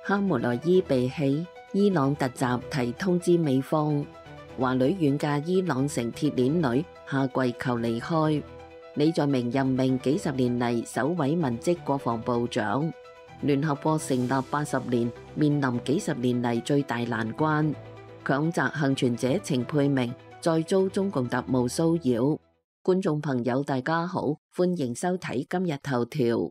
哈梅內伊被起，伊朗突襲提通知美方，華女遠嫁伊朗成鐵鏈女，下跪求離開。李在明任命幾十年嚟首位文職國防部長。聯合國成立80年，面臨幾十年嚟最大難關。強襲倖存者程佩明再遭中共特務騷擾。觀眾朋友大家好，歡迎收睇今日頭條。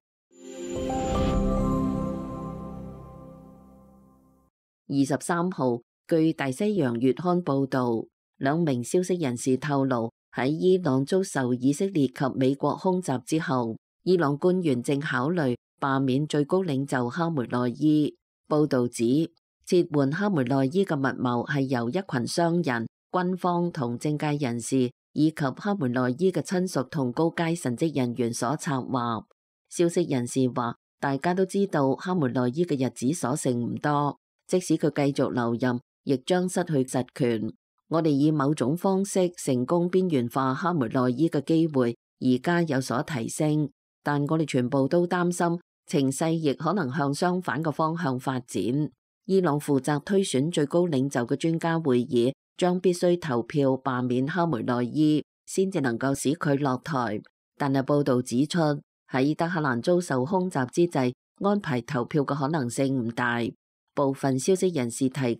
23號，據大西洋月刊報導，兩名消息人士透露，喺伊朗遭受以色列及美國空襲之後，伊朗官員正考慮罷免最高領袖哈梅內伊。報導指，撤換哈梅內伊嘅密謀係由一群商人、軍方同政界人士以及哈梅內伊嘅親屬同高階神職人員所策劃。消息人士話，大家都知道哈梅內伊嘅日子所剩唔多。即使佢繼續留任，亦將失去實權。我哋以某種方式成功邊緣化哈梅內伊嘅機會，而家有所提升，但我哋全部都擔心情勢亦可能向相反嘅方向發展。伊朗負責推選最高領袖嘅專家會議將必須投票罷免哈梅內伊，先至能夠使佢落台。但係報導指出，喺德黑蘭遭受空襲之際，安排投票嘅可能性唔大。部分消息人士提及，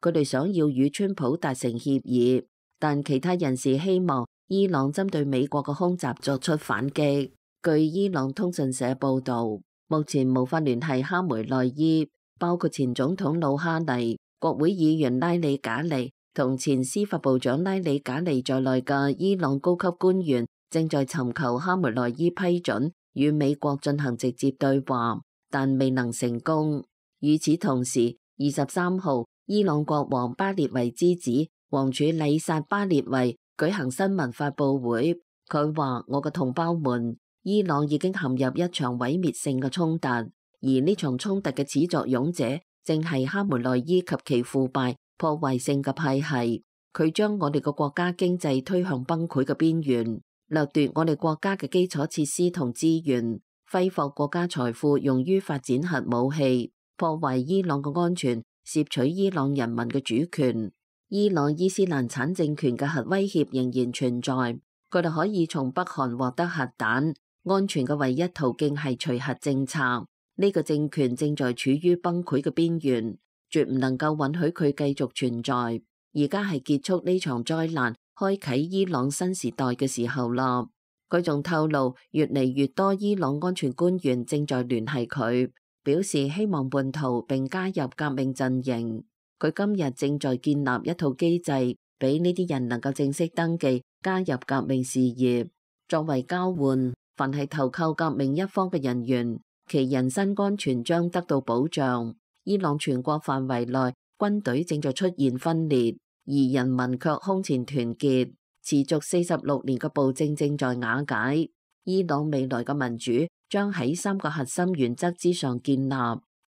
佢哋想要與川普達成協議，但其他人士希望伊朗針對美國嘅空襲作出反擊。據伊朗通訊社報導，目前無法聯繫哈梅內伊，包括前總統魯哈尼、國會議員拉里賈尼同前司法部長拉里賈尼在內嘅伊朗高級官員正在尋求哈梅內伊批准與美國進行直接對話，但未能成功。與此同時，23號，伊朗國王巴列維之子王儲禮薩巴列維舉行新聞發佈會，佢話：我嘅同胞們，伊朗已經陷入一場毀滅性嘅衝突，而呢場衝突嘅始作俑者正係哈梅內伊及其腐敗破壞性嘅派系，佢將我哋嘅國家經濟推向崩潰嘅邊緣，掠奪我哋國家嘅基礎設施同資源，揮霍國家財富用於發展核武器，破壞伊朗嘅安全，竊取伊朗人民嘅主權。伊朗伊斯蘭產政權嘅核威脅仍然存在，佢哋可以從北韓獲得核彈，安全嘅唯一途徑係除核政策。呢個政權正在處於崩潰嘅邊緣，絕唔能夠允許佢繼續存在。而家係結束呢場災難，開啟伊朗新時代嘅時候啦。佢仲透露，越嚟越多伊朗安全官員正在聯繫佢，表示希望叛逃並加入革命陣營。佢今日正在建立一套機制，俾呢啲人能夠正式登記加入革命事業。作為交換，凡係投靠革命一方嘅人員，其人身安全將得到保障。伊朗全國範圍內軍隊正在出現分裂，而人民卻空前團結。持續46年嘅暴政正在瓦解。伊朗未來嘅民主將喺3個核心原則之上建立：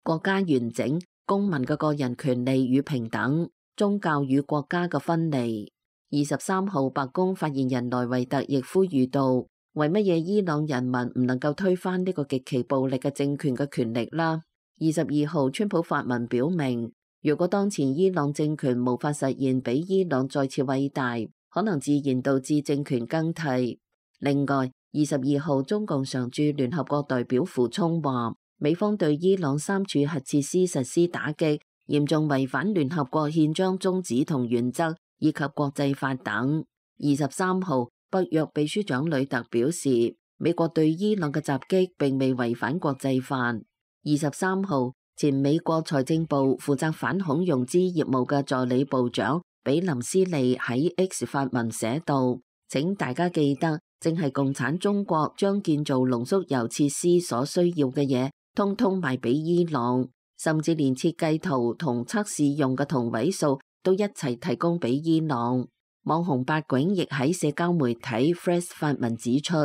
國家完整、公民嘅個人權利與平等、宗教與國家嘅分離。23號，白宮發言人萊維特亦呼籲到：為乜嘢伊朗人民唔能夠推翻呢個極其暴力嘅政權嘅權力啦？22號，川普發文表明，如果當前伊朗政權無法實現比伊朗再次偉大，可能自然導致政權更替。另外，22號，中共常駐聯合國代表傅聰話，美方對伊朗3處核設施實施打擊，嚴重違反聯合國憲章宗旨同原則以及國際法等。23號，北約秘書長呂特表示，美國對伊朗嘅襲擊並未違反國際法。23號，前美國財政部負責反恐融資業務嘅助理部長比林斯利喺 X 發文寫道：請大家記得，正係共產中國將建造濃縮鈾設施所需要嘅嘢，通通賣俾伊朗，甚至連設計圖同測試用嘅同位素都一齊提供俾伊朗。網紅八囧亦喺社交媒體 Threads 發文指出，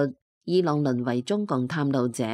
伊朗淪為中共探路者，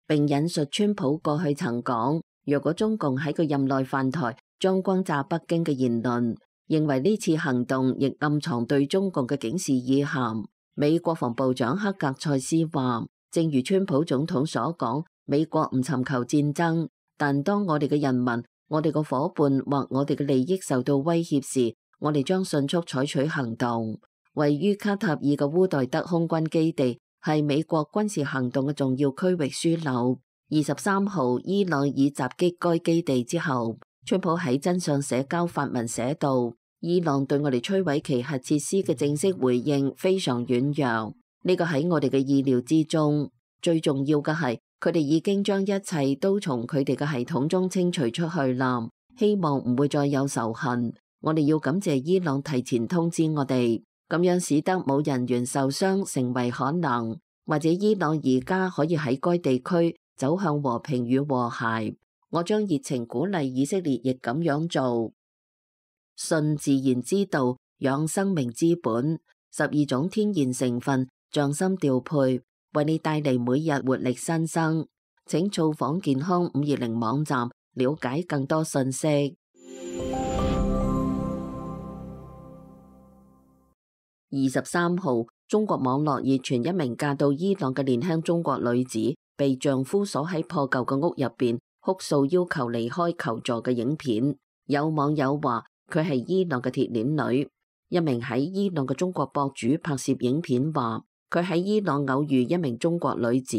並引述川普過去曾講，若果中共喺佢任內犯台，將轟炸北京嘅言論，認為呢次行動亦暗藏對中共嘅警示意涵。美國防部長克格塞斯話，正如川普總統所講，美國唔尋求戰爭，但當我哋嘅人民我哋個夥伴或我哋嘅利益受到威脅時，我哋將迅速採取行動。位於卡塔爾嘅烏代德空軍基地係美國軍事行動嘅重要區域樞紐。23號，伊朗已襲擊該基地之後，川普喺真相社交發文寫道：伊朗對我哋摧毀其核設施嘅正式回應非常軟弱，呢個喺我哋嘅意料之中。最重要嘅係，佢哋已經將一切都從佢哋嘅系統中清除出去啦，希望唔會再有仇恨。我哋要感謝伊朗提前通知我哋，咁樣使得冇人員受傷成為可能，或者伊朗而家可以喺該地區走向和平與和諧。我將熱情鼓勵以色列亦咁樣做。信自然之道，養生命之本，12種天然成分匠心調配，為你帶嚟每日活力新生。請造訪健康520網站，了解更多信息。23號，中國網絡熱傳一名嫁到伊朗嘅年輕中國女子被丈夫鎖喺破舊嘅屋入邊哭訴要求離開求助嘅影片。有網友話佢係伊朗嘅鐵鏈女。一名喺伊朗嘅中國博主拍攝影片話佢喺伊朗偶遇一名中國女子，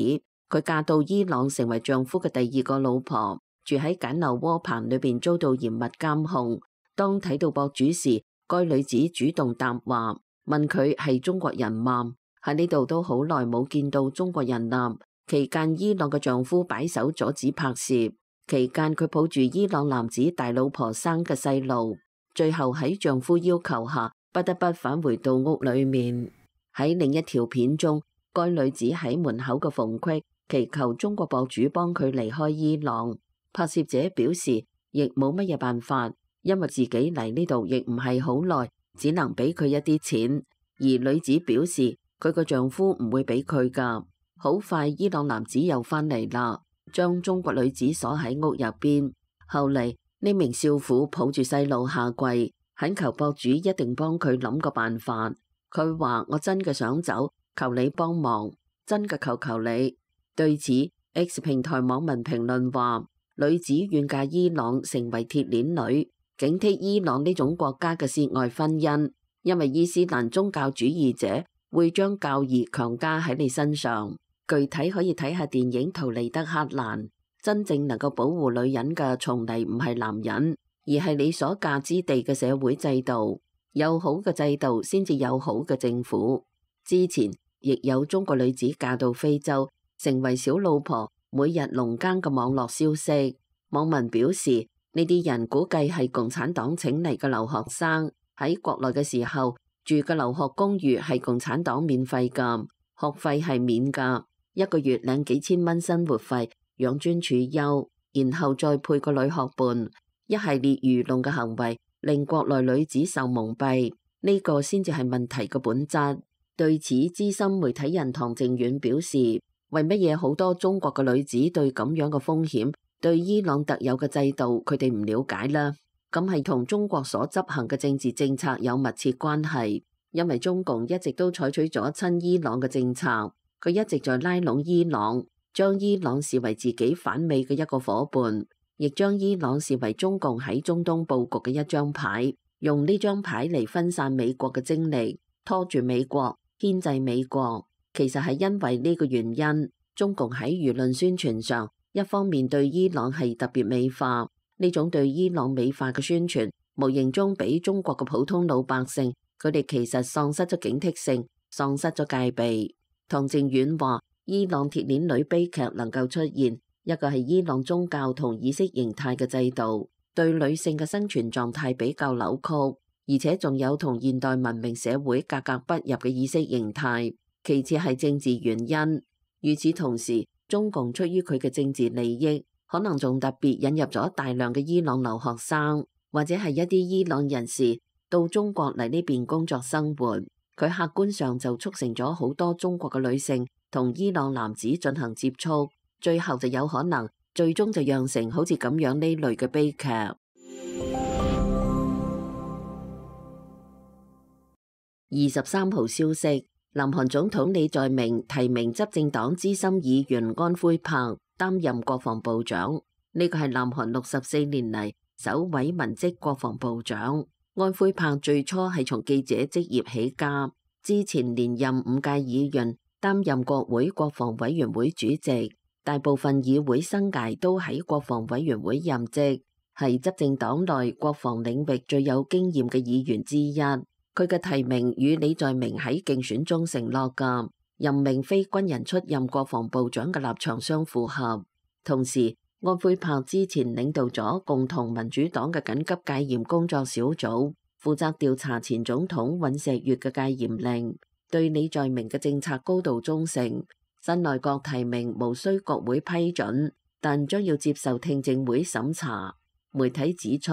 佢嫁到伊朗成為丈夫嘅第2個老婆，住喺簡陋窩棚裏邊遭到嚴密監控。當睇到博主時，該女子主動答話，問佢係中國人嗎？喺呢度都好耐冇見到中國人啦。期間伊朗嘅丈夫擺手阻止拍攝，期間佢抱住伊朗男子大老婆生嘅細路，最後喺丈夫要求下不得不返回到屋裏面。喺另一條片中，該女子喺門口嘅縫隙祈求中國博主幫佢離開伊朗。拍攝者表示亦冇乜嘢辦法，因為自己嚟呢度亦唔係好耐，只能俾佢一啲錢。而女子表示佢個丈夫唔會俾佢噶。好快伊朗男子又返嚟啦，將中國女子鎖喺屋入邊。後嚟呢名少婦抱住細路下跪，懇求博主一定幫佢諗個辦法。佢話：我真嘅想走，求你幫忙，真嘅求求你。對此 X 平台網民評論話：女子願嫁伊朗成為鐵鏈女，警惕伊朗呢種國家嘅涉外婚姻，因為伊斯蘭宗教主義者會將教義強加喺你身上。具體可以睇下電影《圖利德克蘭》。真正能夠保護女人嘅，從嚟唔係男人，而係你所嫁之地嘅社會制度。有好嘅制度，先至有好嘅政府。之前亦有中國女子嫁到非洲，成為小老婆，每日農耕嘅網絡消息。網民表示，呢啲人估計係共產黨請嚟嘅留學生，喺國內嘅時候住嘅留學公寓係共產黨免費㗎，學費係免㗎。1個月領幾千蚊生活費，養尊處優，然後再配個女學伴，一系列愚弄嘅行為令國內女子受蒙蔽，呢個先至係問題嘅本質。對此，資深媒體人唐靖遠表示：為乜嘢好多中國嘅女子對咁樣嘅風險，對伊朗特有嘅制度，佢哋唔了解啦？咁係同中國所執行嘅政治政策有密切關係，因為中共一直都採取咗親伊朗嘅政策。佢一直在拉攏伊朗，將伊朗視為自己反美嘅一個夥伴，亦將伊朗視為中共喺中東佈局嘅一張牌，用呢張牌嚟分散美國嘅精力，拖住美國，牽制美國。其實係因為呢個原因，中共喺輿論宣傳上，一方面對伊朗係特別美化，呢種對伊朗美化嘅宣傳，無形中俾中國嘅普通老百姓，佢哋其實喪失咗警惕性，喪失咗戒備。唐靖遠話：伊朗鐵鏈女悲劇能夠出現，一個係伊朗宗教同意識形態嘅制度對女性嘅生存狀態比較扭曲，而且仲有同現代文明社會格格不入嘅意識形態。其次係政治原因。與此同時，中共出於佢嘅政治利益，可能仲特別引入咗大量嘅伊朗留學生，或者係一啲伊朗人士到中國嚟呢邊工作生活。佢客觀上就促成咗好多中國嘅女性同伊朗男子進行接觸，最後就有可能最終就釀成好似咁樣呢類嘅悲劇。23號消息，南韓總統李在明提名執政黨資深議員安徽柏擔任國防部長。呢個係南韓64年嚟首位文職國防部長。安徽柏最初係從記者職業起家，之前連任5屆議員，擔任國會國防委員會主席，大部分議會生涯都喺國防委員會任職，係執政黨內國防領域最有經驗嘅議員之一。佢嘅提名與李在明喺競選中承諾嘅任命非軍人出任國防部長嘅立場相符合。同時，安徽柏之前領導咗共同民主黨嘅緊急戒嚴工作小組，負責調查前總統尹錫悅嘅戒嚴令，對李在明嘅政策高度忠誠。新內閣提名無需國會批准，但將要接受聽證會審查。媒體指出，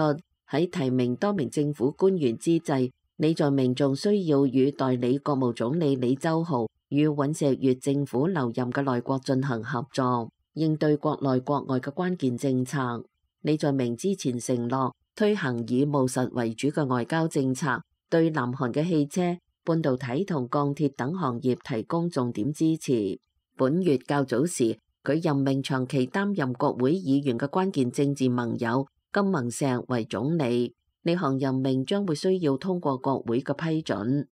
喺提名多名政府官員之際，李在明仲需要與代理國務總理李周浩與尹錫悅政府留任嘅內閣進行合作，應對國內國外嘅關鍵政策。李在明之前承諾推行以務實為主嘅外交政策，對南韓嘅汽車、半導體同鋼鐵等行業提供重點支持。本月較早時，佢任命長期擔任國會議員嘅關鍵政治盟友金文錫為總理。呢項任命將會需要通過國會嘅批准。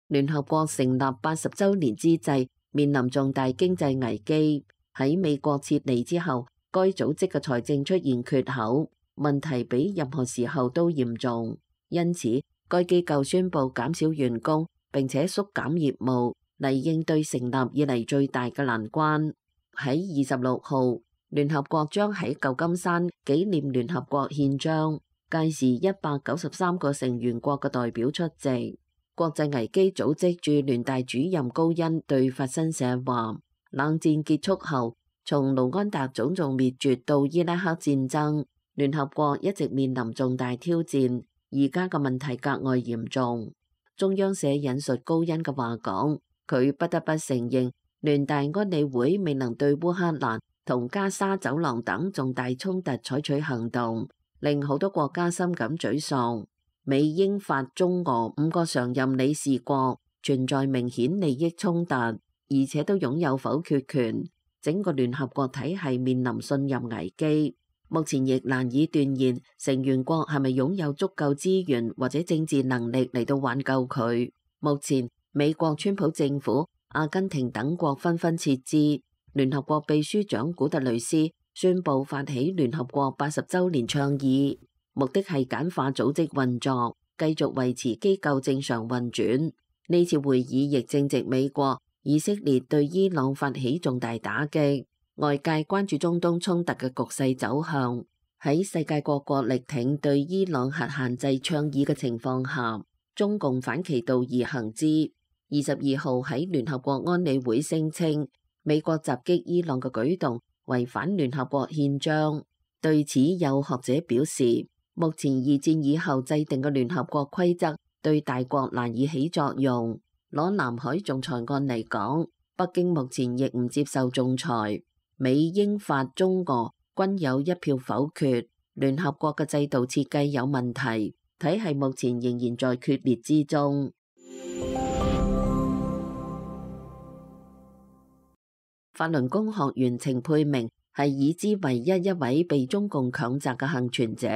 聯合國成立80週年之際，面臨重大經濟危機。喺美國撤離之後，該組織嘅財政出現缺口，問題比任何時候都嚴重。因此，該機構宣布減少員工，並且縮減業務，嚟應對成立以嚟最大嘅難關。喺26號，聯合國將喺舊金山紀念聯合國憲章，屆時193個成員國嘅代表出席。國際危機組織駐聯大主任高恩對法新社話：冷戰結束後，從盧安達種族滅絕到伊拉克戰爭，聯合國一直面臨重大挑戰，而家嘅問題格外嚴重。中央社引述高恩嘅話講，佢不得不承認，聯大安理會未能對烏克蘭同加沙走廊等重大衝突採取行動，令好多國家深感沮喪。美英法中俄5個常任理事國存在明顯利益衝突，而且都擁有否決權，整個聯合國體系面臨信任危機。目前亦難以斷言成員國係咪擁有足夠資源或者政治能力嚟到挽救佢。目前美國川普政府、阿根廷等國紛紛撤資，聯合國秘書長古特雷斯宣布發起聯合國80週年倡議，目的係簡化組織運作，繼續維持機構正常運轉。呢次會議亦正值美國、以色列對伊朗發起重大打擊，外界關注中東衝突嘅局勢走向。喺世界各國力挺對伊朗核限制倡議嘅情況下，中共反其道而行之。22號喺聯合國安理會聲稱，美國襲擊伊朗嘅舉動違反聯合國憲章。對此，有學者表示，目前二戰以後制定嘅聯合國規則對大國難以起作用。攞南海仲裁案嚟講，北京目前亦唔接受仲裁。美英法中俄均有一票否決。聯合國嘅制度設計有問題，體系目前仍然在決裂之中。法輪功學員程佩明係已知唯一一位被中共強摘嘅幸存者，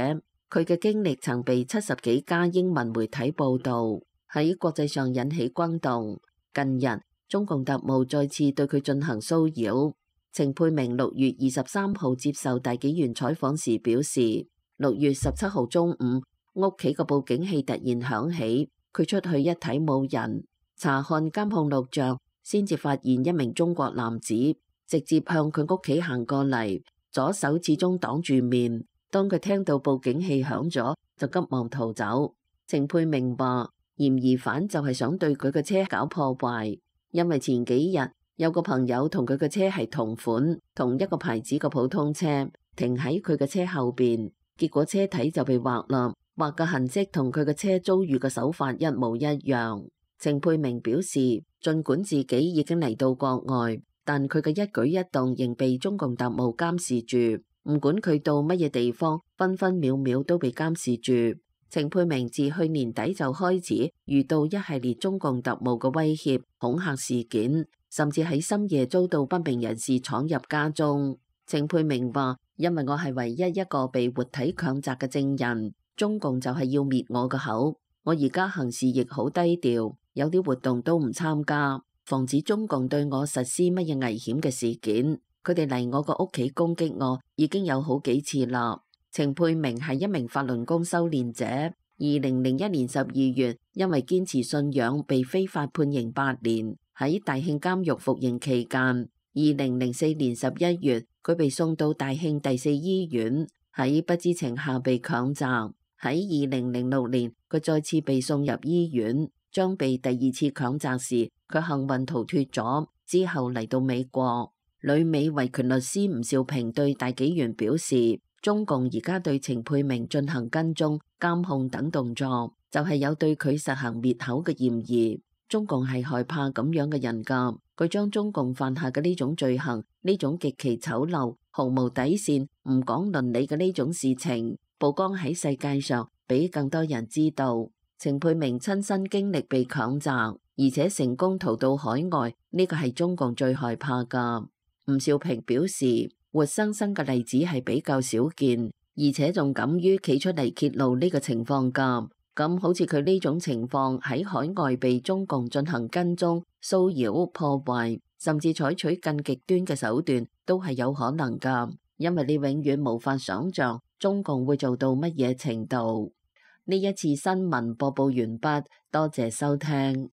佢嘅經歷曾被70幾家英文媒體報導，喺國際上引起轟動。近日，中共特務再次對佢進行騷擾。程佩明6月23號接受大紀元採訪時表示，6月17號中午，屋企個報警器突然響起，佢出去一睇冇人，查看監控錄像，先至發現一名中國男子直接向佢屋企行過嚟，左手始終擋住面。當佢聽到報警器響咗，就急忙逃走。程佩明話，嫌疑犯就係想對佢嘅車搞破壞，因為前幾日有個朋友同佢嘅車係同款、同一個牌子嘅普通車，停喺佢嘅車後邊，結果車體就被劃啦，劃嘅痕跡同佢嘅車遭遇嘅手法一模一樣。程佩明表示，儘管自己已經嚟到國外，但佢嘅一舉一動仍被中共特務監視住，唔管佢到乜嘢地方，分分秒秒都被監視住。程佩明自去年底就開始遇到一系列中共特務嘅威脅、恐嚇事件，甚至喺深夜遭到不明人士闖入家中。程佩明話：因為我係唯一一個被活體強襲嘅證人，中共就係要滅我嘅口。我而家行事亦好低調，有啲活動都唔參加，防止中共對我實施乜嘢危險嘅事件。佢哋嚟我個屋企攻擊我已經有好幾次啦。程佩明係一名法輪功修煉者，2001年12月因為堅持信仰被非法判刑8年，喺大慶監獄服刑期間，2004年11月佢被送到大慶第4醫院，喺不知情下被強襲。喺2006年佢再次被送入醫院，將被第2次強襲時佢幸運逃脫咗，之後嚟到美國。旅美維權律師吳兆平對大紀元表示，中共而家對程佩明進行跟蹤、監控等動作，就係有對佢實行滅口嘅嫌疑。中共係害怕咁樣嘅人㗎，佢將中共犯下嘅呢種罪行、呢種極其醜陋、毫無底線、唔講倫理嘅呢種事情曝光喺世界上，俾更多人知道。程佩明親身經歷被強襲，而且成功逃到海外，呢個係中共最害怕㗎。吳兆平表示，活生生嘅例子係比較少見，而且仲敢於企出嚟揭露呢個情況㗎。咁好似佢呢種情況喺海外被中共進行跟蹤、騷擾、破壞，甚至採取更極端嘅手段，都係有可能㗎。因為你永遠無法想像中共會做到乜嘢程度。呢一次新聞播報完畢，多謝收聽。